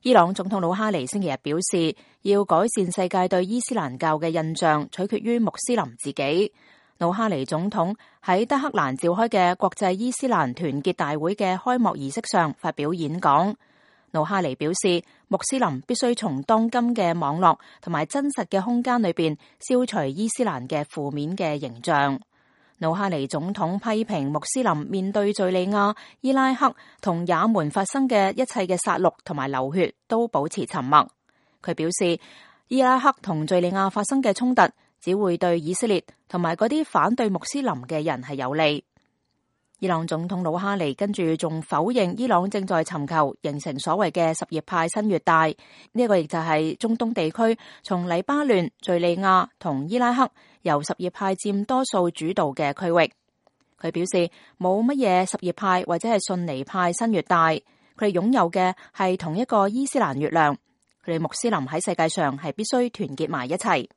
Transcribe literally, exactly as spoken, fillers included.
伊朗總統魯哈尼星期日表示，要改善世界對伊斯蘭教嘅印象，取決於穆斯林自己。魯哈尼總統喺德黑蘭召開嘅國際伊斯蘭團結大會嘅開幕儀式上發表演講。魯哈尼表示，穆斯林必須從當今嘅網絡同埋真實嘅空間裏邊消除伊斯蘭嘅負面嘅形象。魯哈尼總統批評穆斯林面對敘利亞、伊拉克同也門發生嘅一切嘅殺戮同埋流血都保持沉默。佢表示，伊拉克同敘利亞發生嘅衝突只會對以色列同埋嗰啲反對穆斯林嘅人係有利。伊朗總統魯哈尼跟住仲否認伊朗正在尋求形成所謂嘅什葉派新月帶，呢一個亦就係中東地區從黎巴嫩、敘利亞同伊拉克由什葉派佔多數主導嘅區域。佢表示冇乜嘢什葉派或者係遜尼派新月帶，佢哋擁有嘅係同一個伊斯蘭月亮。佢哋穆斯林喺世界上係必須團結埋一齊。